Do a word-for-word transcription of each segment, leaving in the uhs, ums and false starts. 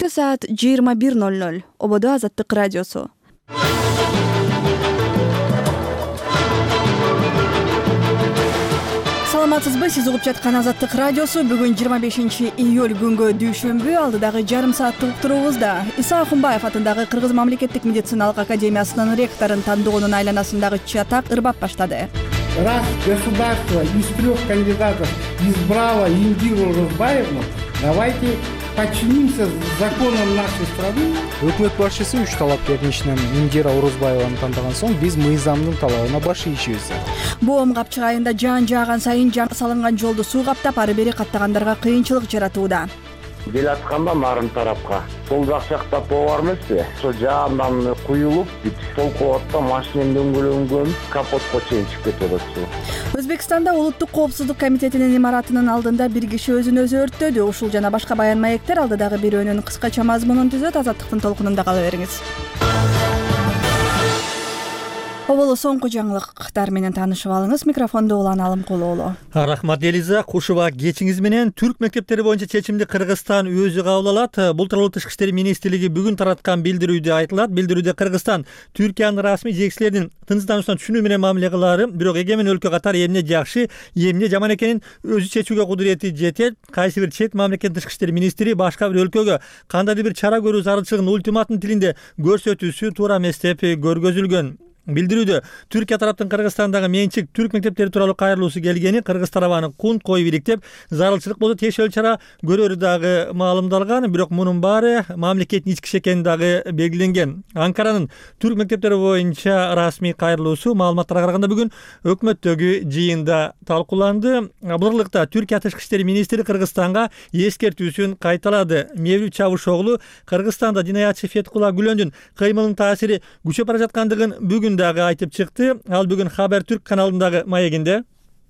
Кечки саат жыйырма бир ноль ноль. Ободо Азаттык радиосу. Саламатсызбы? Сиз угуп жаткан Азаттык радиосу. Бүгүн жыйырма бешинчи июль күнгө дүйшөмбү. Алдыдагы жарым сааттык уктуруубузда Иса Акунбаев атындагы Кыргыз мамлекеттик медициналык академиясынын ректорун тандоонун айланасындагы чатак ырбап баштады. Раз государство из трех кандидатов избрало Индиру Урузбаевну, давайте подчинимся законам нашей страны. Өкмөт башчысы үч талапкердин ичинен Индира Урузбаеваны тандаган соң биз мыйзамдын талабына баш ийишибиз. Боом капчык айында жаан жааган сайын жаңы салынган жолду суу каптап, ары бери каттагандарга кыйынчылык жаратууда. Бел атканда нарын тарапка сол жак жакта по бар эмеспи? Ошо жаандан куюлуп, бүт сол кубатта машинем дөңгөлөнгөн, капотко чейин чыгып кетип атат. Өзбекстанда Улуттук коопсуздук комитетинин имаратынын алдында бир киши өзүн өзү өрттөдү. Ушул жана башка баян маектер алдыдагы бирөөнүн кыскача мазмунун түзөт. Азаттыктын толкунунда кала бериңиз. Оболо соңку жаңылыктар менен таанышып алыңыз. Микрофондо Улан Алымкулуулу. Рахмат Элиза. Кушуба кечиңиз менен. Түрк мектептери боюнча чечимди Кыргызстан өзү кабыл алат. Бул тууралуу Тышкы иштер министрлиги бүгүн тараткан билдирүүдө айтылат. Билдирүүдө Кыргызстан Түркиянын расмий жетекчилеринин тынчтануусуна түшүнүү менен мамиле кылаары, бирок эгемен өлкө катары эмне жакшы, эмне жаман экенин өзү чечүүгө кудурети жетет. Кайсы бир чет мамлекеттин тышкы иштер министри башка бир өлкөгө кандайдыр бир чара көрүү зарылчылыгын ультиматум тилинде көрсөтүүсү туура эмес деп көргөзүлгөн. Билдирүүдө Түркия тараптын Кыргызстандагы менчик түрк мектептери тууралуу кайрылуусу келгени, Кыргыз тарабаны кунт коюп иликтеп, зарылчылык болсо тиешелүү чара көрөрү дагы маалымдалган, бирок мунун баары мамлекеттин ички иши экени дагы белгиленген. Анкаранын түрк мектептери боюнча расмий кайрылуусу маалыматтарга караганда бүгүн өкмөттөгү жыйында талкууланды. Бул ырлыкта Түркия тышкы иштер министри Кыргызстанга эскертүүсүн кайталады. Мевлют Чавушоглу Кыргызстанда жинаятчы Феткула Гүлөндүн кыймылынын таасири күчөп бара жаткандыгын бүгүн дагы айтып чыкты. Ал бүгүн Хабар Türk каналындагы маегинде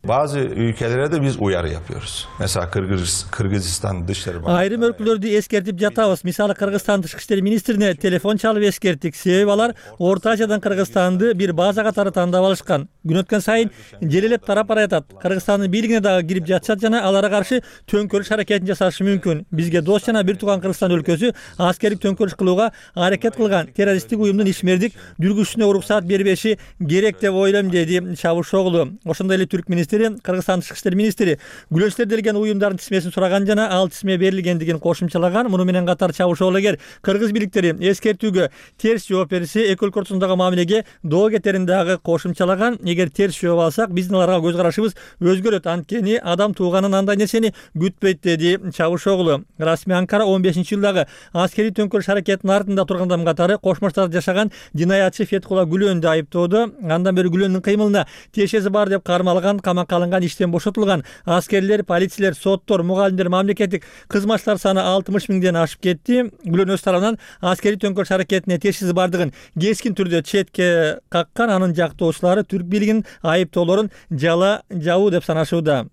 bazı ülkelere de biz uyarı yapıyoruz. Mesela Kırgız, Kırgızistan Dışişleri Bakanlığı. Айрым өлкөлөрдү эскертип жатабыз. Мисалы Кыргызстан тышкы иштер министрине телефон чалып эскерттик. Себеби алар Орто Азиядан Кыргызстанды бир база катары тандап алышкан. Күн өткөн сайын желелеп тарап бара жатат. Кыргызстандын бийлигине дагы кирип жатышат жана аларга каршы төңкөрүш аракетин жасашы мүмкүн. Бизге дос жана бир тууган Кыргызстан өлкөсү аскердик төңкөрүш кылууга аракет кылган террористтик уюмдун ишмердик жүргүзүшүнө уруксаат бербеши керек деп ойлойм, деди Чавушоглу. Ошондой эле түрк министри Кыргызстан тышкы иштер министри Гүлөнчтөр делген уюмдардын тизмесин сураган жана ал тизме берилгендигин кошумчалаган. Муну менен катар Чавушоглу эгер кыргыз бийликтери эскертүүгө терс жооп берсе, эки өлкө ортосундагы мамилеге доо кетерин дагы кошумчалаган. Эгер терс жооп алсак, биздин аларга көз карашыбыз өзгөрөт. Анткени адам тууганын андай нерсени күтпөйт, деди Чавушоглу. Расмий Анкара он бешинчи жылдагы аскерий төңкөрүш аракетинин артында турган адам катары Кошмо Штатта жашаган жинаятчы Феткула Гүлөндү айыптоодо. Андан бери Гүлөндүн кыймылына тиешеси бар деп кармалган, камакка алынган, иштен бошотулган. Аскерлер, полициялер, соттор, мугалимдер, мамлекеттик кызматчылар саны алтымыш миңден ашып кетти. Гүлөн өз тарабынан аскерий төңкөрүш аракетине тиешеси бардыгын кескин түрдө четке каккан. Анын жактоочулары түрк бийлигинин айыптоолорун жала жабуу деп санашууда.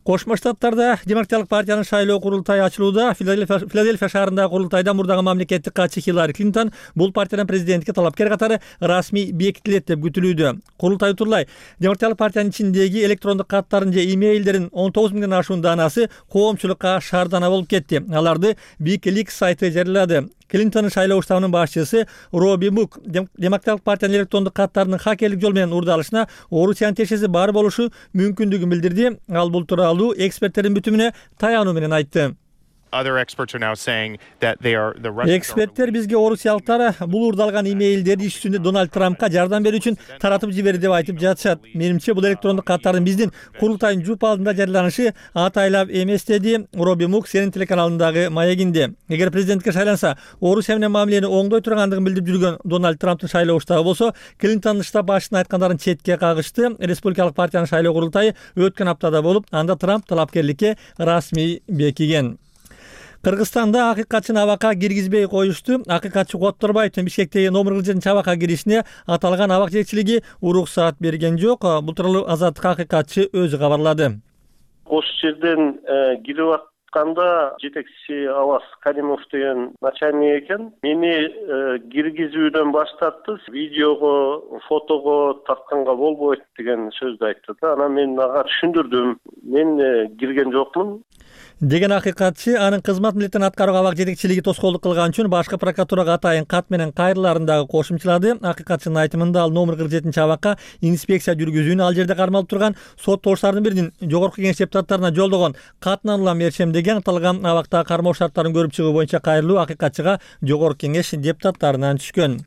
Кошмо Штаттарда Демократиялык партиянын шайлоо курултайы ачылууда. Филадельфия шаарындагы курултайда мурдагы мамлекеттик катчы Хиллари Клинтон бул партиянын президенттикке талапкер катары расмий бекитилет деп күтүлүүдө. Курултай утурлай Демократиялык партиянын ичиндеги электрондук каттарын же имейлдерин он тогуз миңден ашуун даанасы коомчулукка шаардана болуп кетти. Аларды WikiLeaks сайты жарыялады. Клинтонун шайлоо штабынын башчысы Робби Мук Демократиялык партиянын электрондук каттарынын хакерлик жол менен урдалышына Орусиянын тиешеси бар болушу мүмкүндүгүн билдирди. Ал бул тууралуу эксперттердин бүтүмүнө таянуу менен айтты. Эксперттер бизге орусиялыктар бул урдалган имейлдерди иш жүзүндө Дональд Трампка жардам берүү үчүн таратып жиберди деп айтып жатышат. Менимче бул электрондук каттардын биздин курултайдын жуп алдында жарыяланышы атайлап эмес, деди Робби Мук Сенин телеканалындагы маегинде. Эгер президентке шайланса, Орусия менен мамилени оңдой тургандыгын билдирип жүргөн Дональд Трамптын шайлоо штабы болсо, Клинтондун штаб башчысынын айткандарын четке кагышты. Республикалык партиянын шайлоо курултайы өткөн аптада болуп, анда Трамп талапкерликке расмий бекиген. Кыргызстанда акыйкатчыны абакка киргизбей коюшту. Акыйкатчы Котторбаевдин Бишкектеги номер кырк жетинчи абакка киришине аталган абак жетекчилиги уруксаат берген жок. Бул тууралуу Азаттык акыйкатчы өзү кабарлады. Ошол жерден кирип Канда жетекчиси Аваз Каримов деген начальник экен. Мени киргизүүдөн баштапты. Видеого, фотого тартканга болбойт деген сөздү айтты да. Анан мен ага түшүндүрдүм. Мен кирген жокмун деген акыйкатчы анын кызмат милдетин аткарууга абак жетекчилиги тоскоолдук кылган үчүн башкы прокуратурага атайын кат менен кайрыларын дагы кошумчалады. Акыйкатчынын айтымында ал номер кырк жетинчи абакка инспекция жүргүзүүнү ал жерде кармалып турган соттолуштардын биринин жогорку кеңеш депутаттарына жолдогон катынан улам беришем деген аталган абактагы кармоо шарттарын көрүп чыгуу боюнча кайрылуу акыйкатчыга жогорку кеңеш депутаттарынан түшкөн.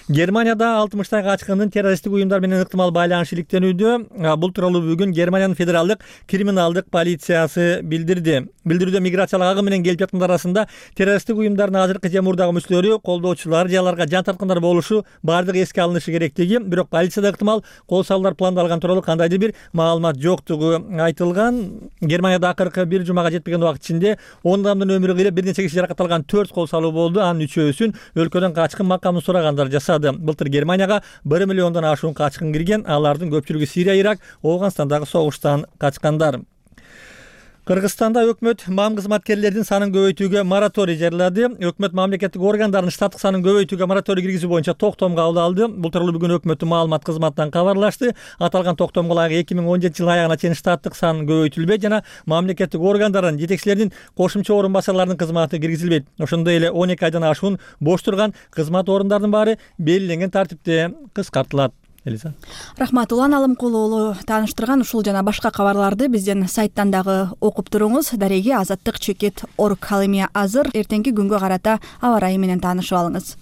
Германияда алтымыштай качкындын террористтик уюмдар менен ыктымал байланышы иликтенүүдө. Бул тууралуу бүгүн Германиянын федералдык криминалдык полициясы билдирди. Билдирүүдө миграциялык агым менен келип жаткандар арасында террористтик уюмдардын азыркы же мурдагы мүчөлөрү, колдоочулары же аларга жан тарткандар болушу бардыгы эске алынышы керектиги, бирок полицияда ыктымал кол салуулар пландалган тууралуу кандайдыр бир маалымат жоктугу айтылган. Германияда акыркы бир жумага жетпеген убакыт ичинде он адамдын өмүрү кыйылып, бир нече киши жаракат алган төрт кол салуу болду. Анын үчөөсүн өлкөдөн качкын макамын сурагандар жасады. Былтыр Германияга bir миллиондон ашуун качкын кирген. Алардын көпчүлүгү Сирия, Ирак, Афганстандагы согуштан качкандар. Кыргызстанда өкмөт мам кызматкерлердин санын көбөйтүүгө мораторий жарыялады. Өкмөт мамлекеттик органдардын штаттык санын көбөйтүүгө мораторий киргизүү боюнча токтом кабыл алды. Бул тууралуу бүгүн өкмөттүн маалымат кызматынан кабарлашты. Аталган токтомго ылайык эки миң он жетинчи жылдын аягына чейин штаттык сан көбөйтүлбөйт жана мамлекеттик органдардын жетекчилеринин кошумча орун басарларынын кызматы киргизилбейт. Ошондой эле он эки айдан ашуун бош турган кызмат орундардын баары белгиленген тартипте кыскартылат. Элиза. Рахмат, Улан Алымкулуулу тааныштырган ушул жана башка кабарларды бизден сайттан дагы окуп туруңуз. Дареги азаттык чекит орг ал эми азыр эртеңки күнгө карата аба ырайы менен таанышып алыңыз.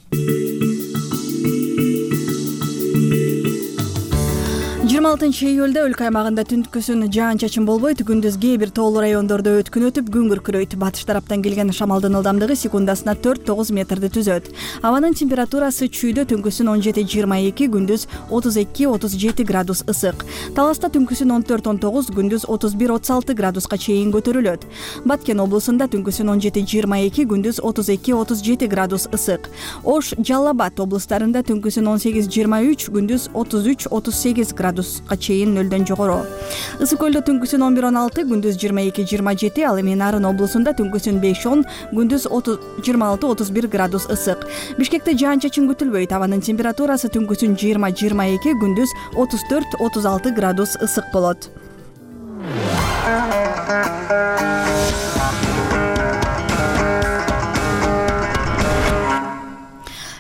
жыйырма алтынчы июлда өлкө аймагында түнткүсүн жаан-чачын болбойт, күндүз кээ бир тоолуу райондордо өткүн өтүп, күн күркүрөйт. Батыш тараптан келген шамалдын ылдамдыгы секундасына төрт тогуз метрди түзөт. Абанын температурасы чүйдө түнкүсүн он жети жыйырма эки, күндүз отуз эки отуз жети градус ысык. Таласта түнкүсүн он төрт он тогуз, күндүз отуз бир отуз алты градуска чейин көтөрүлөт. Баткен облусунда түнкүсүн он жети жыйырма эки, күндүз отуз эки отуз жети градус ысык. Ош, Жалал Абад облустарында түнкүсүн он сегиз жыйырма үч, күндүз отуз үч отуз сегиз градус чейин нөлдөн жогору. Ысык көлдө түнкүсүн он бир он алты, күндүз жыйырма эки жыйырма жети, ал эми Нарын облусунда түнкүсүн беш он, күндүз жыйырма алты отуз бир градус ысык. Бишкекте жаан-чачын күтүлбөйт. Абанын температурасы түнкүсүн жыйырма жыйырма эки, күндүз отуз төрт отуз алты градус ысык болот.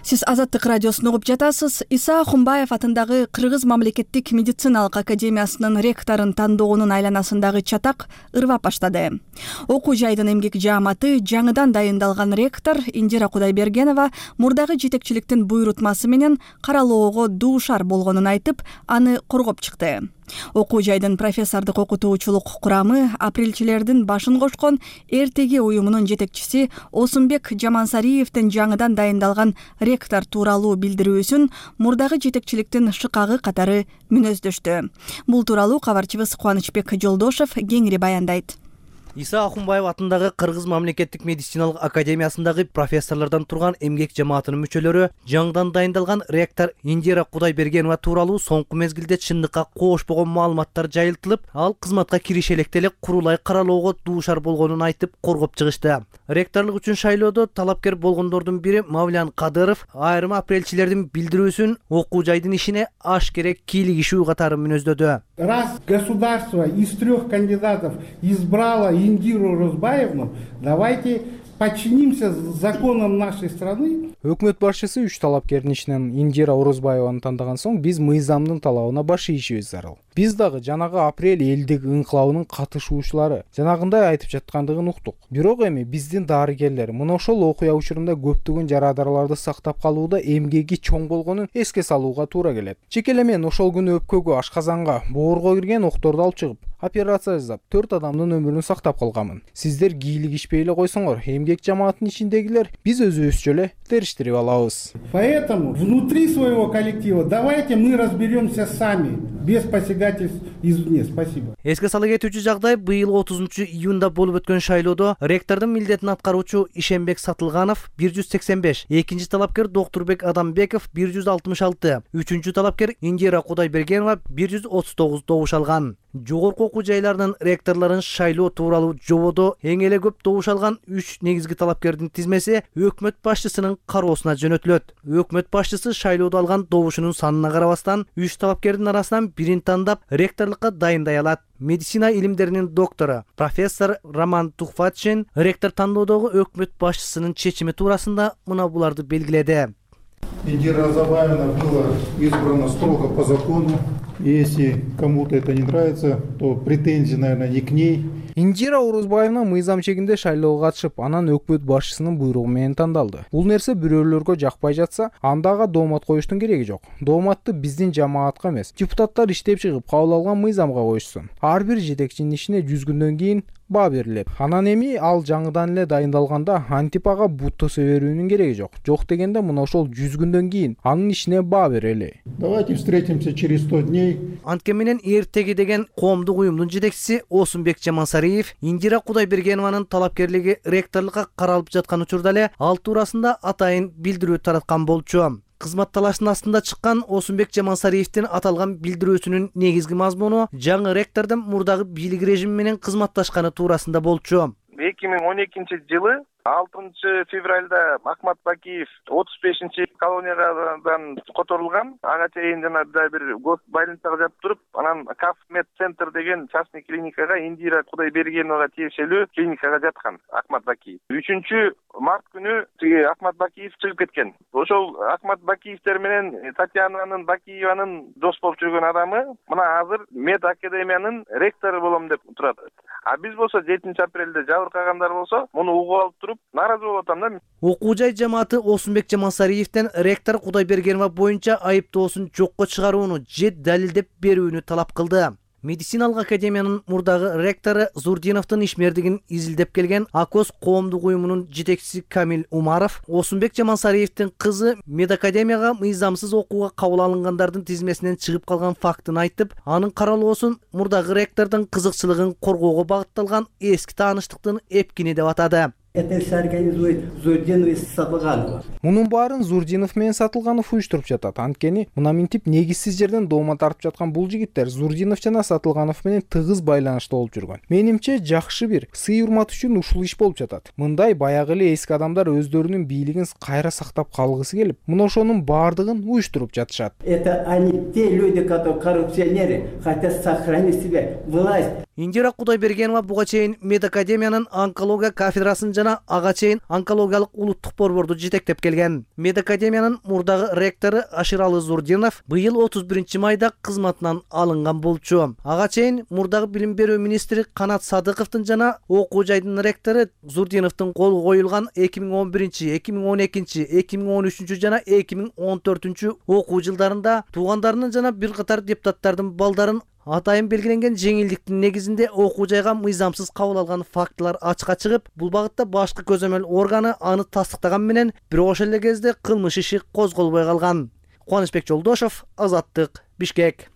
Сиз Азаттык радиосун угуп жатасыз. Иса Ахунбаев атындагы Кыргыз мамлекеттик медициналык академиясынын ректорун тандоонун айланасындагы чатак ырвап баштады. Окуу жайдын эмгек жааматы жаңыдан дайындалган ректор Индира Кудайбергенова мурдагы жетекчиликтин буйрутмасы менен каралоого дуушар болгонун айтып, аны коргоп чыкты. Окуу жайдын профессордук окутуучулук курамы апрелчилердин башын кошкон Эртеги уюмунун жетекчиси Осунбек Жамансариевдин жаңыдан дайындалган ректор тууралуу билдирүүсүн мурдагы жетекчиликтин шыкагы катары мүнөздөштү. Бул тууралуу кабарчыбыз Кубанычбек Жолдошев кеңири баяндайт. Иса Ахунбаев атындагы Кыргыз мамлекеттик медициналык академиясындагы профессорлордон турган эмгек жамаатынын мүчөлөрү жаңыдан дайындалган ректор Индира Кудайбергенова тууралуу соңку мезгилде чындыкка коошпогон маалыматтар жайылтылып, ал кызматка кириши электе эле курулай каралоого дуушар болгонун айтып коргоп чыгышты. Ректорлук үчүн шайлоодо талапкер болгондордун бири Мавлян Кадыров айрым апрелчилердин билдирүүсүн окуу жайдын ишине аш керек кийлигишүү катары мүнөздөдү. Раз государство из трех кандидатов избрало Индиру Розбаевну, давайте подчинимся законам нашей страны. Өкмөт башчысы үч талапкердин ичинен Индира Орозбаеваны тандаган соң биз мыйзамдын талабына баш ийишибиз зарыл. Биз дагы жанагы апрель элдик ыңкылабынын катышуучулары жанагындай айтып жаткандыгын уктук. Бирок эми биздин дарыгерлер мына ошол окуя учурунда көптөгөн жарадараларды сактап калууда эмгеги чоң болгонун эске салууга туура келет. Чеке эле мен ошол күнү өпкөгө, ашказанга, боорго кирген окторду алып чыгып, операция жасап, төрт адамдын өмүрүн сактап калганмын. Сиздер кийлигишпей эле койсоңор, эмгек жамаатынын ичиндегилер биз өзүбүзчө эле териштирип алабыз. Поэтому внутри своего коллектива давайте мы разберемся сами, без посягательств извне. Спасибо. Эске сала кетүүчү жагдай быйыл отузунчу июнда болуп өткөн шайлоодо ректордун милдетин аткаруучу Ишенбек Сатылганов бир жүз сексен беш, экинчи талапкер Доктурбек Адамбеков бир жүз алтымыш алты, үчүнчү талапкер Индира Кудайбергенова бир жүз отуз тогуз добуш алган. Жогорку окуу жайларынын ректорлорун шайлоо тууралуу жободо эң эле көп добуш алган үч негизги талапкердин тизмеси өкмөт башчысынын кароосуна жөнөтүлөт. Өкмөт башчысы шайлоодо алган добушунун санына карабастан үч талапкердин арасынан бирин тандап ректорлукка дайындай алат. Медицина илимдеринин доктору профессор Роман Тухватшин ректор тандоодогу өкмөт башчысынын чечими туурасында мына буларды белгиледи. Индира Разабаевна была избрана строго по закону. Если кому-то это не нравится, то претензии, наверное, не к ней. Индира Орозбаевна мыйзам чегинде шайлоого катышып, анан өкмөт башчысынын буйругу менен тандалды. Бул нерсе бирөөлөргө жакпай жатса, анда ага доомат коюштун кереги жок. Дооматты биздин жамаатка эмес, депутаттар иштеп чыгып кабыл алган мыйзамга коюшсун. Ар бир жетекчинин ишине жүз күндөн кийин баа берилет. Анан эми ал жаңыдан эле дайындалганда антип ага бут тосе берүүнүн кереги жок. Жок дегенде мына ошол жүз күндөн кийин анын ишине баа берели. Давайте встретимся через сто дней. Анткени менен эртеги деген коомдук уюмдун жетекчиси Осунбек Жамансариев Индира Кудайбергенованын талапкерлиги ректорлукка каралып жаткан учурда эле ал туурасында атайын билдирүү тараткан болчу. Кызмат талашынын астында чыккан Осунбек Жамансариевдин аталган билдирүүсүнүн негизги мазмуну жаңы ректордун мурдагы бийлик режими менен кызматташканы туурасында болчу. эки миң он экинчи жылы алтынчы февралда Ахмат Бакиев отуз бешинчи колониядан которулган. Ага чейин жана бир гос больницага жатып туруп, анан Каф Мед Центр деген частный клиникага Индира Кудайбергеновага тиешелүү клиникага жаткан Ахмат Бакиев. үчүнчү март күнү тиги Ахмат Бакиев чыгып кеткен. Ошол Ахмат Бакиевтер менен Татьянанын Бакиеванын дос болуп жүргөн адамы мына азыр Мед Академиянын ректору болом деп турат. А биз болсо жетинчи апрелде жабыркагандар болсо, муну угуп алып туруп наразы болуп атам да. Окуу жай жамааты Осунбек Жамансариевден ректор Кудайбергенова боюнча айыптоосун жокко чыгарууну же далилдеп берүүнү талап кылды. Медициналык академиянын мурдагы ректору Зурдиновдун ишмердигин изилдеп келген Акос коомдук уюмунун жетекчиси Камил Умаров Осунбек Жамансариевдин кызы медакадемияга мыйзамсыз окууга кабыл алынгандардын тизмесинен чыгып калган фактын айтып, анын каралоосун мурдагы ректордун кызыкчылыгын коргоого багытталган эски тааныштыктын эпкини деп атады. Это все организует Зурдинов и Сатылганов. Мунун баарын Зурдинов менен Сатылганов уюштуруп жатат. Анткени мына минтип негизсиз жерден доомат тартып жаткан бул жигиттер Зурдинов жана Сатылганов менен тыгыз байланышта болуп жүргөн. Менимче жакшы бир сый урмат үчүн ушул иш болуп жатат. Мындай баягы эле эски адамдар өздөрүнүн бийлигин кайра сактап калгысы келип, мына ошонун баардыгын уюштуруп жатышат. Это они те люди, которые коррупционеры, хотят сохранить себе власть. Индира Кудайбергенова буга чейин медакадемиянын онкология кафедрасын жана ага чейин онкологиялык улуттук борборду жетектеп келген. Медакадемиянын мурдагы ректору Аширалы Зурдинов быйыл отуз биринчи майда кызматынан алынган болчу. Ага чейин мурдагы билим берүү министри Канат Садыковдун жана окуу жайдын ректору Зурдиновдун колу коюлган эки миң он биринчи, эки миң он экинчи, эки миң он үчүнчү жана эки миң он төртүнчү окуу жылдарында туугандарынын жана бир катар депутаттардын балдарын атайын белгиленген жеңилдиктин негизинде окуу жайга мыйзамсыз кабыл алган фактылар ачыкка чыгып, бул багытта башкы көзөмөл органы аны тастыктаган менен бирок ошол эле кезде кылмыш иши козголбой калган. Кубанычбек Жолдошов, Азаттык, Бишкек.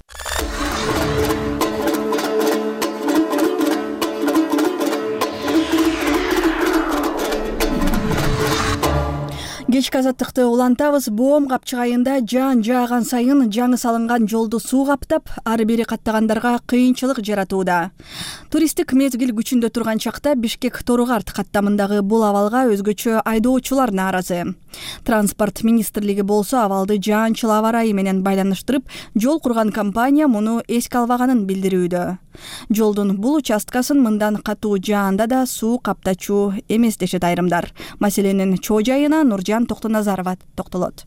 Кечки азаттыкты улантабыз. Боом капчык айында жаан жааган сайын жаңы салынган жолду суу каптап, ары бери каттагандарга кыйынчылык жаратууда. Туристтик мезгил күчүндө турган чакта Бишкек Торугарт каттамындагы бул абалга өзгөчө айдоочулар нааразы. Транспорт министрлиги болсо абалды жаанчыл аба ырайы менен байланыштырып, жол курган компания муну эске албаганын билдирүүдө. Жолдун бул участкасын мындан катуу жаанда да суу каптачу эмес дешет айрымдар. Маселенин чоо жайына Нуржан Токтоназарова токтолот.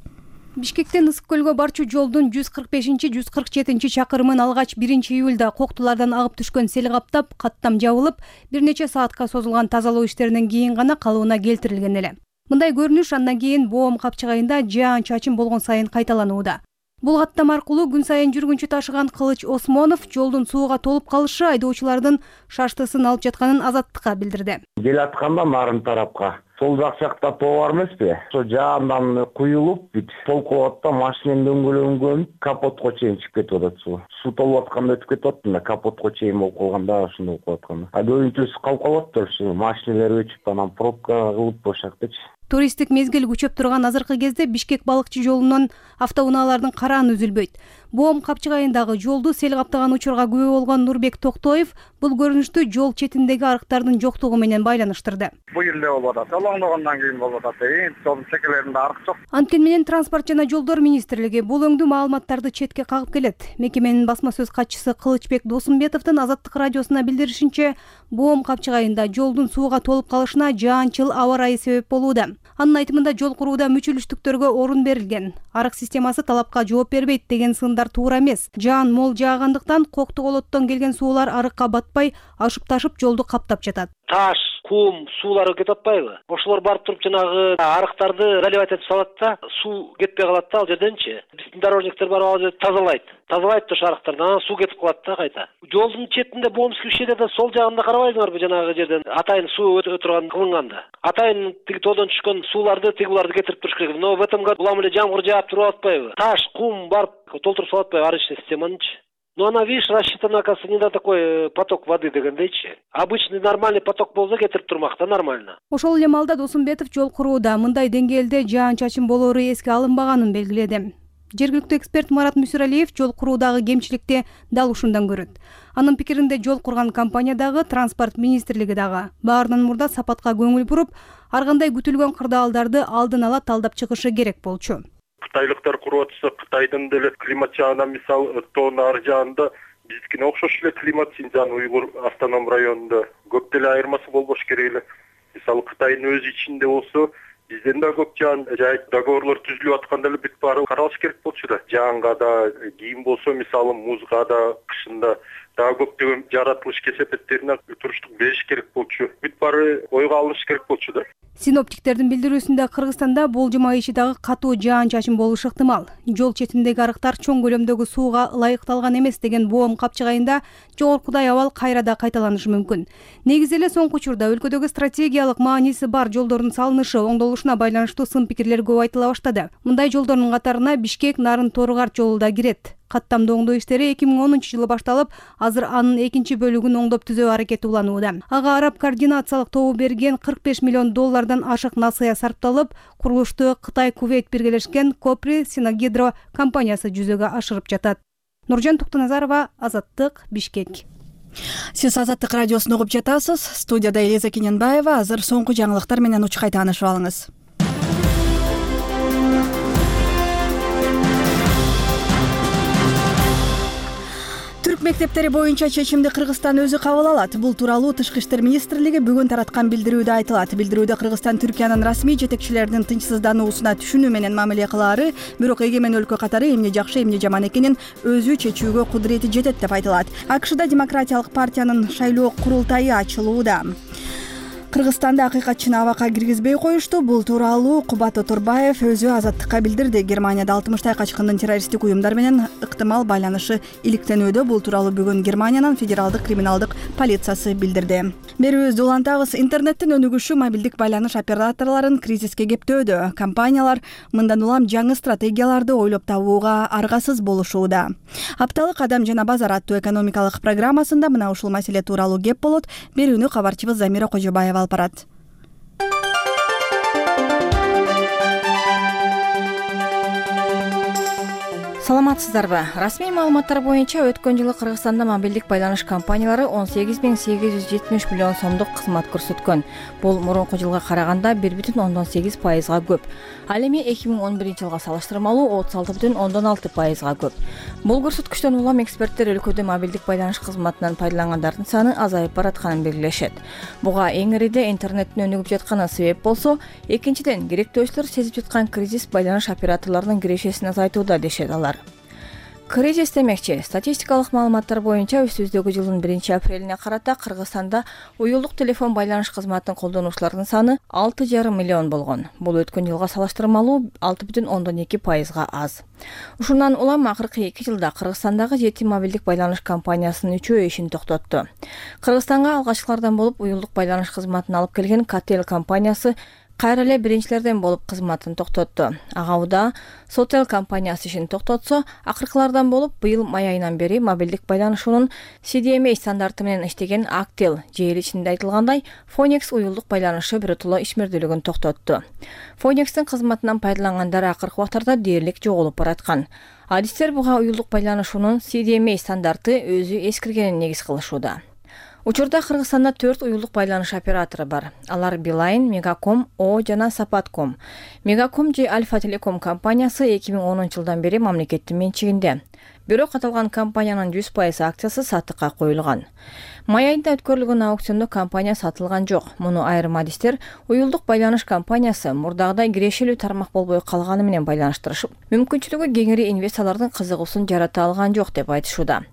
Бишкектен Ысык көлгө барчу жолдун жүз кырк бешинчи жүз кырк жетинчи чакырымын алгач биринчи июлда Коктулардан агып түшкөн сел каптап, каттам жабылып, бир нече саатка созулган тазалоо иштеринен кийин гана калыбына келтирилген эле. Мындай көрүнүш андан кийин Боом капчык айында жаан чачым болгон сайын кайталанууда. Бул каттам аркылуу күн сайын жүргүнчү ташыган Кылыч Осмонов жолдун сууга толуп калышы айдоочулардын шаштысын алып жатканын Азаттыкка билдирди. Келатканда нарын тарапка сол жак жакта тоо бар эмеспи? Ошо жаандан куюлуп, бүт толкуп атат, машинем дөңгөлөнгөн, капотко чейин чыгып кетип атат суу. Суу толуп атканда өтүп кетип атты, капотко чейин болуп калганда ошондой болуп атканда. А көбүнчөсү калып калыптыр, ушу машиналар өчүп, анан пробка кылып ошактычы. Туристтик мезгил күчөп турган азыркы кезде Бишкек балыкчы жолунан автоунаалардын карааны үзүлбөйт. Боом Капчыгайындагы жолду сел каптаган учурга күбө болгон Нурбек Токтоев бул көрүнүштү жол четиндеги арыктардын жоктугу менен байланыштырды. Бул эле болуп атат. Олоңдогондон кийин болуп атат. Эми жолдун чекелеринде арык жок. Анткени менен Транспорт жана жолдор министрлиги бул өңдүү маалыматтарды четке кагып келет. Мекеменин басма сөз катчысы Кылычбек Досумбетовдун Азаттык радиосуна билдиришинче, Боом Капчыгайында жолдун сууга толуп калышына жаанчыл аба ырайы себеп болууда. Анын айтымында жол курууда мүчүлүштүктөргө орун берилген. Арык системасы талапка жооп бербейт деген сындар туура эмес. Жаан мол жаагандыктан Коктуголоттон келген суулар арыкка батпай, ашып ташып жолду каптап жатат. Таш, кум, суулар кетип атпайбы? Ошолор барып туруп жанагы арыктарды заливать этип салат да, суу кетпей калат да ал жерденчи. Биздин дорожниктер барып ал жерди тазалайт. Тазалайт ошо арыктарды, анан суу кетип калат да кайта. Жолдун четинде Боомский ущельеде сол жагында карабайсыңарбы жанагы жерден атайын суу өтө турган кылынганда. Атайын тиги тоодон түшкөн сууларды тигиларды кетирип туруш керек. Но в этом году улам эле жамгыр жаап туруп атпайбы? Таш, кум барып толтуруп салат атпайбы арычный системанычы? Ну, она, видишь, рассчитана, оказывается, не на такой поток воды дегендейчи. Обычный нормальный поток болсо кетирип турмакта нормально. Ошол эле маалда Досумбетов жол курууда мындай деңгээлде жаан-чачын болоору эске алынбаганын белгиледи. Жергиликтүү эксперт Марат Мүсүралиев жол куруудагы кемчиликти дал ушундан көрөт. Анын пикиринде жол курган компания дагы, Транспорт министрлиги дагы баарынан мурда сапатка көңүл буруп, ар кандай күтүлгөн кырдаалдарды алдын ала талдап чыгышы керек болчу. Кытайлыктар куруп атса, Кытайдын деле климат жагынан мисал тоонун ар жагында биздикине окшош эле климат Синжан Уйгур автоном районунда көп деле айырмасы болбош керек эле. Мисалы Кытайдын өз ичинде болсо, бизден да көп жаан жай договорлор түзүлүп атканда эле бүт баары каралыш керек болчу да. Жаанга да, кийин болсо мисалы музга да, кышында дагы көптөгөн жаратылыш кесепеттерине туруштук бериш керек болчу. Бүт баары ойго алыныш керек болчу да. Синоптиктердин билдирүүсүндө Кыргызстанда болжол айы ичи дагы катуу жаан-чачын болушу ыктымал. Жол четиндеги арыктар чоң көлөмдөгү сууга ылайыкталган эмес деген Боом Капчыгайында жогоркудай абал кайра да кайталанышы мүмкүн. Негизи эле соңку учурда өлкөдөгү стратегиялык мааниси бар жолдордун салынышы, оңдолушуна байланыштуу сын пикирлер көп айтыла баштады. Мындай жолдордун катарына Бишкек Нарын Торгарт жолу да кирет. Каттамдуу оңдоо иштери эки миң онунчу жылы башталып, азыр анын экинчи бөлүгүн оңдоп түзөө аракети уланууда. Ага араб координациялык тобу берген кырк беш миллион доллардан ашык насыя сарпталып, курулушту Кытай Кувейт биргелешкен Копри Синагидро компаниясы жүзөгө ашырып жатат. Нуржан Туктуназарова, Азаттык, Бишкек. Сиз Азаттык радиосун угуп жатасыз. Студияда Элиза Кененбаева. Азыр соңку жаңылыктар менен учкай таанышып алыңыз. Түрк мектептери боюнча чечимди Кыргызстан өзү кабыл алат. Бул тууралуу Тышкы иштер министрлиги бүгүн тараткан билдирүүдө айтылат. Билдирүүдө Кыргызстан Түркиянын расмий жетекчилеринин тынчсыздануусуна түшүнүү менен мамиле кылаары, бирок эгемен өлкө катары эмне жакшы, эмне жаман экенин өзү чечүүгө кудурети жетет деп айтылат. АКШда Демократиялык партиянын шайлоо курултайы ачылууда. Кыргызстанды акыйкатчыны абакка киргизбей коюшту. Бул тууралуу Кубат Оторбаев өзү Азаттыкка билдирди. Германияда алтымыштай качкындын террористтик уюмдар менен ыктымал байланышы иликтенүүдө. Бул тууралуу бүгүн Германиянын федералдык криминалдык полициясы билдирди. Берүүбүздү улантабыз. Интернеттин өнүгүшү мобилдик байланыш операторлорун кризиске кептөөдө. Компаниялар мындан улам жаңы стратегияларды ойлоп табууга аргасыз болушууда. Апталык Адам жана базар аттуу экономикалык программасында мына ушул маселе тууралуу кеп болот. Берүүнү кабарчыбыз Замира Кожобаева алып барат. Саламатсыздарбы? Расмий маалыматтар боюнча өткөн жылы Кыргызстанда мобилдик байланыш компаниялары он сегиз миң сегиз жүз жетимиш миллион сомдук кызмат көрсөткөн. Бул мурунку жылга караганда бир бүтүн ондон сегиз пайызга көп. Ал эми эки миң он биринчи жылга салыштырмалуу отуз алты бүтүн ондон алты пайызга көп. Бул көрсөткүчтөн улам эксперттер өлкөдө мобилдик байланыш кызматынан пайдалангандардын саны азайып баратканын белгилешет. Буга эң ириде интернеттин өнүгүп жатканы себеп болсо, экинчиден керектөөчүлөр сезип жаткан кризис байланыш операторлорунун кирешесин азайтууда дешет алар. Кризис демекчи, статистикалык маалыматтар боюнча үстүбүздөгү жылдын биринчи апрелине карата Кыргызстанда уюлдук телефон байланыш кызматынын колдонуучуларынын саны алты жарым миллион болгон. Бул өткөн жылга салыштырмалуу алты бүтүн ондон эки пайызга аз. Ушундан улам акыркы эки жылда Кыргызстандагы жети мобилдик байланыш компаниясынын үчөө ишин токтотту. Кыргызстанга алгачкылардан болуп уюлдук байланыш кызматын алып келген Кател компаниясы кайра эле биринчилерден болуп кызматын токтотту. Ага уда Сотел компаниясы ишин токтотсо, акыркылардан болуп быйыл май айынан бери мобилдик байланышуунун си ди эм эй стандарты менен иштеген Актел же эл ичинде айтылгандай Phoenix уюлдук байланышы биротоло ишмердүүлүгүн токтотту. Phoenix'тин кызматынан пайдалангандар акыркы убактарда дээрлик жоголуп бараткан. Адистер буга уюлдук байланышуунун си ди эм эй стандарты өзү эскиргенин негиз кылышууда. Учурда Кыргызстанда төрт уюлдук байланыш оператору бар. Алар Билайн, Мегаком, О жана Сапатком. Мегаком же Альфа Телеком компаниясы эки миң онунчу жылдан бери мамлекеттин менчигинде. Бирок аталган компаниянын жүз пайыз акциясы сатыкка коюлган. Май айында өткөрүлгөн аукциондо компания сатылган жок. Муну айрым адистер уюлдук байланыш компаниясы мурдагыдай кирешелүү тармак болбой калганы менен байланыштырышып, мүмкүнчүлүгү кеңири инвесторлордун кызыгуусун жарата алган жок деп айтышууда.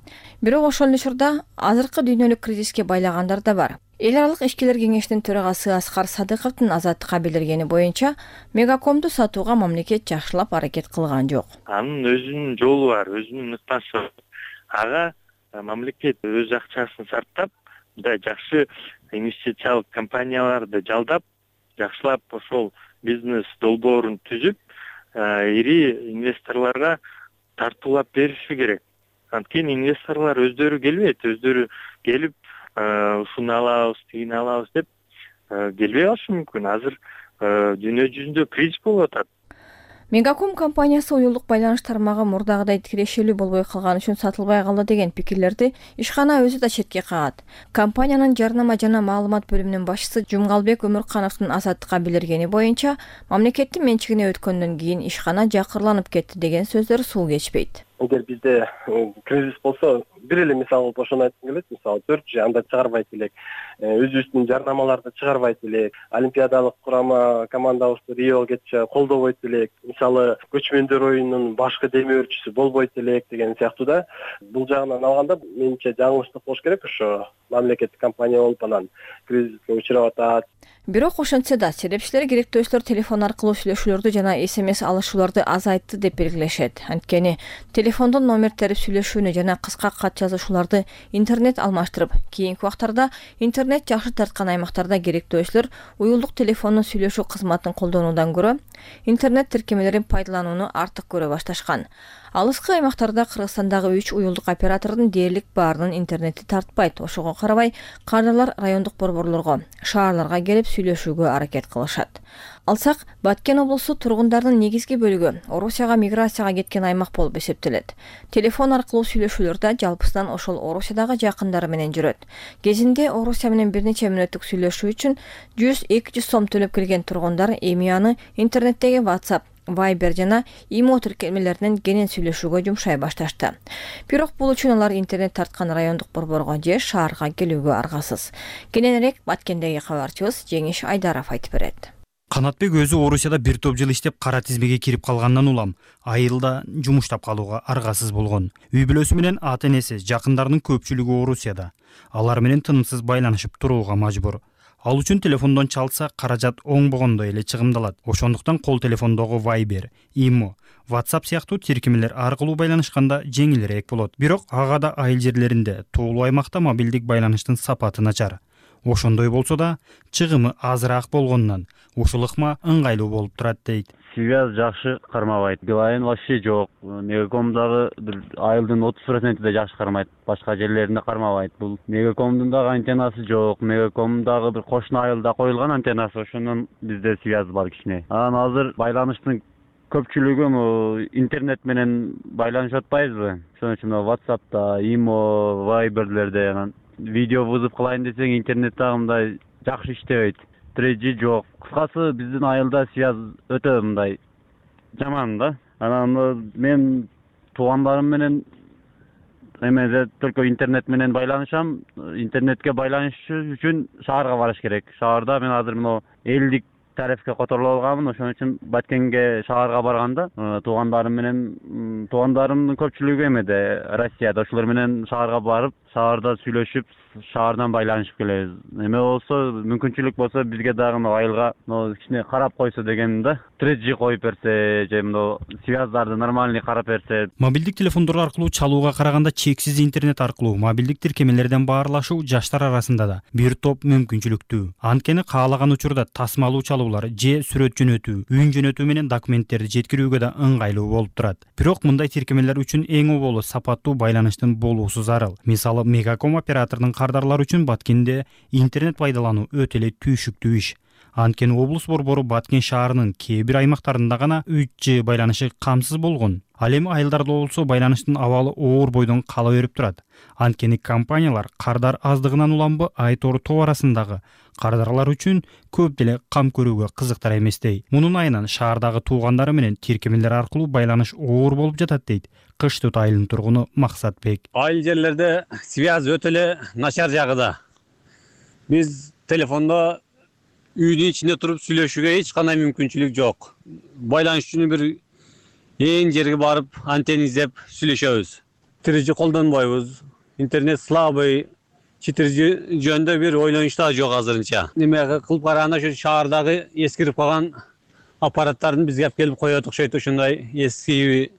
Бирок ошол эле учурда азыркы дүйнөлүк кризиске байлагандар да бар. Эл аралык ишкерлер кеңешинин төрагасы Аскар Садыковдун Азаттыкка билдиргени боюнча, Мегакомду сатууга мамлекет жакшылап аракет кылган жок. Анын өзүнүн жолу бар, өзүнүн ыкмасы бар. Ага мамлекет өз акчасын сарптап, мындай жакшы инвестициялык компанияларды жалдап, жакшылап ошол бизнес долбоорун түзүп, ири инвесторлорго тартуулап бериши керек. Анткени инвесторлор өздөрү келбейт, өздөрү келип ушуну алабыз, тигини алабыз деп келбей калышы мүмкүн. Азыр дүйнө жүзүндө кризис болуп атат. Мегаком компаниясы уюлдук байланыш тармагы мурдагыдай кирешелүү болбой калган үчүн сатылбай калды деген пикирлерди ишкана өзү да четке кагат. Компаниянын жарнама жана маалымат бөлүмүнүн башчысы Жумгалбек Өмүркановдун Азаттыкка билдиргени боюнча, мамлекеттин менчигине өткөндөн кийин ишкана жакырланып кетти деген сөздөр суу кечпейт. Эгер бизде кризис болсо, бир эле мисал кылып ошону айткым келет. Мисалы төрт жи анда чыгарбайт элек, өзүбүздүн жарнамаларды чыгарбайт элек, олимпиадалык курама командабызды Риого кетчү колдобойт элек, мисалы көчмөндөр оюнунун башкы демөөрчүсү болбойт элек деген сыяктуу да. Бул жагынан алганда менимче жаңылыштык болуш керек. Ошо мамлекеттик компания болуп анан кризиске учурап атат. Бирок ошентсе да серепчилер керектөөчүлөр телефон аркылуу сүйлөшүүлөрдү жана смс алышууларды азайтты деп белгилешет. Анткени телефондон номер терип сүйлөшүүнү жана кыска кат жазышууларды интернет алмаштырып, кийинки убактарда интернет жакшы тарткан аймактарда керектөөчүлөр уюлдук телефондун сүйлөшүү кызматын колдонуудан көрө интернет тиркемелерин пайдаланууну артык көрө башташкан. Алыскы аймактарда Кыргызстандагы үч уюлдук оператордун дээрлик баарынын интернети тартпайт. Ошого карабай, кардарлар райондук борборлорго, шаарларга келип сүйлөшүүгө аракет кылышат. Алсак, Баткен облусу тургундарынын негизги бөлүгү Орусияга миграцияга кеткен аймак болуп эсептелет. Телефон аркылуу сүйлөшүүлөрдө жалпысынан ошол Орусиядагы жакындары менен жүрөт. Кезинде Орусия менен бир нече мүнөттүк сүйлөшүү үчүн жүз эки жүз сом төлөп келген тургундар эми аны интернеттеги WhatsApp, Viber жана ИМО тиркемелеринен кенен сүйлөшүүгө жумшай башташты. Бирок бул үчүн алар интернет тарткан райондук борборго же шаарга келүүгө аргасыз. Кененирээк Баткендеги кабарчыбыз Жеңиш Айдаров айтып берет. Канатбек өзү Орусияда бир топ жыл иштеп кара тизмеге кирип калгандан улам айылда жумуштап калууга аргасыз болгон. Үй бүлөсү менен ата энеси, жакындарынын көпчүлүгү Орусияда. Алар менен тынымсыз байланышып турууга мажбур. Ал үчүн телефондон чалса каражат оңбогондой эле чыгымдалат. Ошондуктан кол телефондогу Viber, ИМО, WhatsApp сыяктуу тиркемелер аркылуу байланышканда жеңилирээк болот. Бирок ага да айыл жерлеринде, тоолуу аймакта мобилдик байланыштын сапаты начар. Ошондой болсо да, чыгымы азыраак болгондон ушул ыкма ыңгайлуу болуп турат дейт. Связь жакшы кармабайт. Билайн вообще жок. Мегакомдагы бир айылдын отуз проценти да жакшы кармайт. Башка жерлеринде кармабайт. Бул Мегакомдун дагы антеннасы жок. Мегакомдагы бир кошуна айылда коюлган антеннасы, ошондон бизде связь бар кичине. Анан азыр байланыштын көпчүлүгү интернет менен байланышып атпайбызбы? Ошон үчүн WhatsApp'та, ИМО, Viber'лерде анан видео вызов кылайын десең интернет дагы мындай жакшы иштебейт. три джи жок. Кыскасы биздин айылда связь өтө мындай жаман да. Анан мен туугандарым менен эмеде только интернет менен байланышам. Интернетке байланыш үчүн шаарга барыш керек. Шаарда мен азыр мына элдик тарифке которулуп алганмын. Ошон үчүн Баткенге шаарга барганда туугандарым менен туугандарымдын көпчүлүгү эмеде Россияда, ошолор менен шаарга барып, шаарда сүйлөшүп, шаардан байланышып келебиз. Эме болсо, мүмкүнчүлүк болсо бизге дагы мына айылга кичине карап койсо дегеним да. три джи коюп берсе, же мына связьдарды нормальный карап берсе. Мобилдик телефондор аркылуу чалууга караганда чексиз интернет аркылуу мобилдик тиркемелерден баарлашуу жаштар арасында да бир топ мүмкүнчүлүктүү. Анткени каалаган учурда тасмалуу чалуулар же сүрөт жөнөтүү, үн жөнөтүү менен документтерди жеткирүүгө да ыңгайлуу болуп турат. Бирок мындай тиркемелер үчүн эң оболу сапаттуу байланыштын болуусу зарыл. Мисалы, Мегаком оператордун кардарлар үчүн Баткенде интернет пайдалануу өтө эле түйшүктүү иш. Анткени облус борбору Баткен шаарынын кээ бир аймактарында гана үч джи байланышы камсыз болгон. Ал эми айылдарда болсо байланыштын абалы оор бойдон кала берип турат. Анткени компаниялар кардар аздыгынан уламбы айтору тоо арасындагы кардарлар үчүн көп деле кам көрүүгө кызыктар эместей. Мунун айынан шаардагы туугандары менен тиркемелер аркылуу байланыш оор болуп жатат дейт Кыш Түт айылынын тургуну Максатбек. Айыл жерлерде связь өтө эле начар жагыда. Биз телефондо үйдүн ичинде туруп сүйлөшүүгө эч кандай мүмкүнчүлүк жок. Байланыш үчүн бир эң жерге барып антенна издеп сүйлөшөбүз. четыре джи колдонбойбуз. Интернет слабый. четыре джи жөнүндө бир ойлонуш да жок азырынча. Неме кылып караганда ошо шаардагы эскирип калган аппараттардын бизге алып келип коет окшойт, ошондой эски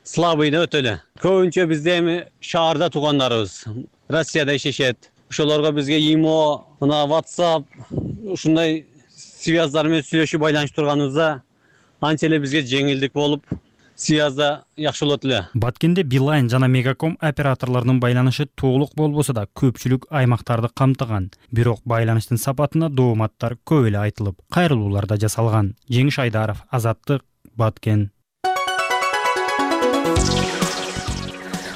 слабый да өтө эле. Көбүнчө бизде эми шаарда туугандарыбыз Россияда ишешет. Ошолорго бизге ИМО, мына WhatsApp, ушундай связьдар менен сүйлөшүп байланышып турганыбызда анча эле бизге жеңилдик болуп, связьда жакшы болот эле. Баткенде Билайн жана Мегаком операторлорунун байланышы толук болбосо да көпчүлүк аймактарды камтыган. Бирок байланыштын сапатына дооматтар көп эле айтылып, кайрылуулар да жасалган. Жеңиш Айдаров, Азаттык, Баткен.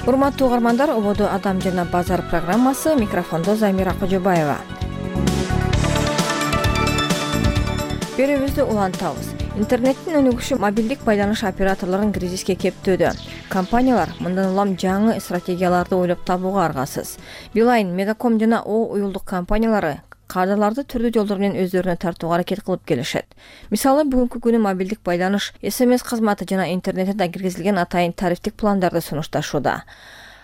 Урматтуу угармандар, ободо Адам жана базар программасы, микрофондо Замира Кожобаева. Берүүбүздү улантабыз. Интернеттин өнүгүшү мобилдик байланыш операторлорун кризиске кептөөдө. Компаниялар мындан улам жаңы стратегияларды ойлоп табууга аргасыз. Билайн, Мегаком жана О уюлдук компаниялары кардарларды түрдүү жолдор менен өздөрүнө тартууга аракет кылып келишет. Мисалы, бүгүнкү күнү мобилдик байланыш, эс эм эс кызматы жана интернетте киргизилген атайын тарифтик пландарды сунушташууда.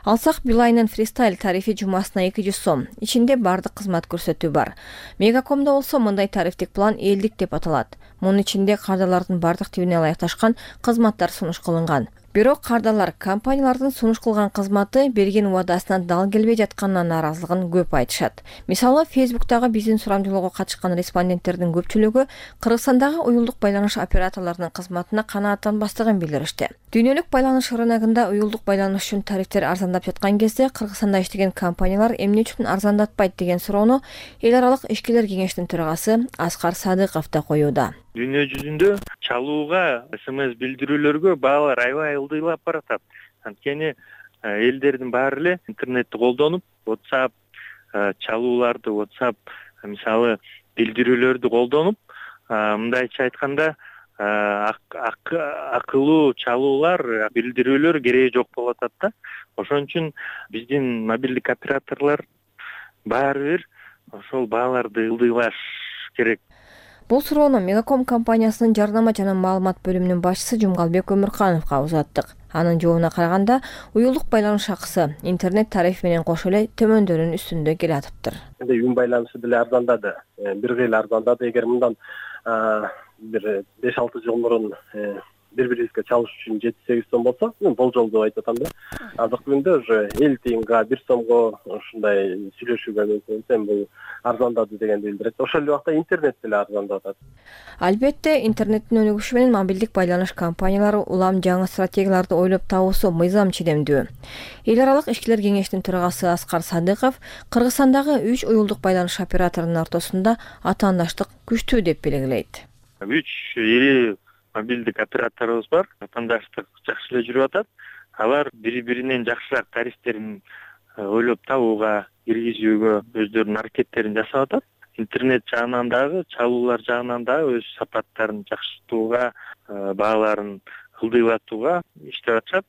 Алсак, Билайнын фристайл тарифи жумасына эки жүз сом. Ичинде бардык кызмат көрсөтүү бар. Мегакомдо болсо мындай тарифтик план элдик деп аталат. Мунун ичинде кардарлардын бардык тибине ылайыкташкан кызматтар сунуш кылынган. Бирок кардарлар компаниялардын сунуш кылган кызматы берген убадасынан дал келбей жатканына нааразылыгын көп айтышат. Мисалы, Фейсбуктагы биздин сурамжылоого катышкан респонденттердин көпчүлүгү Кыргызстандагы уюлдук байланыш операторлорунун кызматына канааттанбастыгын билдиришти. Дүйнөлүк байланыш рыногунда уюлдук байланыш үчүн тарифтер арзандап жаткан кезде Кыргызстанда иштеген компаниялар эмне үчүн арзандатпайт деген суроону эл аралык ишкерлер кеңешинин төрагасы Аскар Садыков да коюуда. Дүйнө жүзүндө чалууга, эс эм эс билдирүүлөргө баалар аябай ылдыйлап баратат. Анткени элдердин баары эле интернетти колдонуп, WhatsApp чалууларды, WhatsApp мисалы билдирүүлөрдү колдонуп, мындайча айтканда акылуу чалуулар, билдирүүлөр кереги жок болуп атат да. Ошон үчүн биздин мобилдик операторлор баары бир ошол бааларды ылдыйлаш керек. Бул суроону Мегаком компаниясынын жарнама жана маалымат бөлүмүнүн башчысы Жумгалбек Өмүркановго узаттык. Анын жообуна караганда, уюлдук байланыш акысы интернет тарифи менен кошо эле төмөндөрүнүн үстүндө келе атыптыр. Үн байланышы деле арзандады. Бир кыйла арзандады. Эгер мындан бир беш алты жыл мурун бири-бирибизге чалыш үчүн жети сегиз сом болсо, мен болжол деп айтып атам да. Азыркы күндө уже элүү тыйынга, бир сомго ушундай сүйлөшүүгө мүмкүн. Бул арзандады дегенди билдирет. Ошол эле убакта интернет деле арзандап атат. Албетте, интернеттин өнүгүшү менен мобилдик байланыш компаниялары улам жаңы стратегияларды ойлоп табуусу мыйзам чидемдүү. Эл аралык ишкерлер кеңешинин төрагасы Аскар Садыков Кыргызстандагы үч уюлдук байланыш операторунун ортосунда атаандаштык күчтүү деп белгилейт. Үч ири мобилдик операторубуз бар. Атаандаштык жакшы эле жүрүп атат. Алар бири-биринен жакшыраак тарифтерин ойлоп табууга, киргизүүгө өздөрүнүн аракеттерин жасап атат. Интернет жагынан дагы, чалуулар жагынан дагы өз сапаттарын жакшыртууга, бааларын ылдыйлатууга иштеп атышат.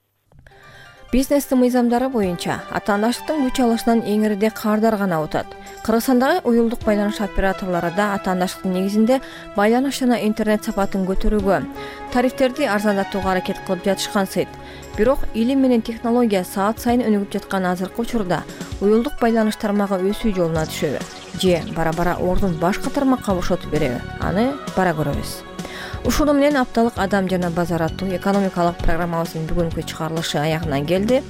Бизнестин мыйзамдары боюнча атаандаштыктын күч алышынан эң ириде кардар гана утат. Кыргызстандагы уюлдук байланыш операторлору да атаандаштыктын негизинде байланыш жана интернет сапатын көтөрүүгө, тарифтерди арзандатууга аракет кылып жатышкансыйт. Бирок илим менен технология саат сайын өнүгүп жаткан азыркы учурда уюлдук байланыш тармагы өсүү жолуна түшөбү же бара-бара ордун башка тармакка бошотуп береби? Аны бара көрөбүз. Ушуну менен апталык Адам жана базар аттуу экономикалык программабыздын бүгүнкү чыгарылышы аягына келди.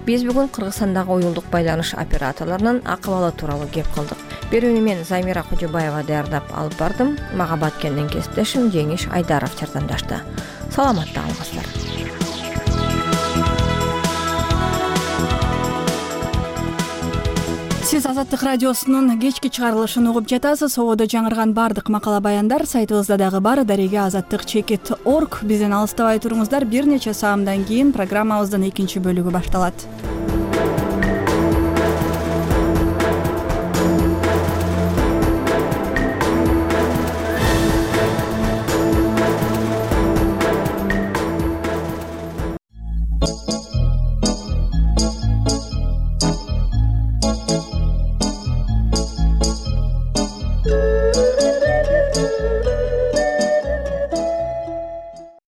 Биз бүгүн Кыргызстандагы уюлдук байланыш операторлорунун акыбалы тууралуу кеп кылдык. Берүүнү мен Замира Кожобаева даярдап алып бардым. Мага Баткенден кесиптешим Жеңиш Айдаров жардамдашты. Саламатта калыңыздар. Сиз Азаттык радиосунун кечки чыгарылышын угуп жатасыз. Ободо жаңырган бардык макала баяндар сайтыбызда дагы бар. Дареге азаттык чекит точка орг. Бизден алыстабай туруңуздар. Бир нече саамдан кийин программабыздын экинчи бөлүгү башталат.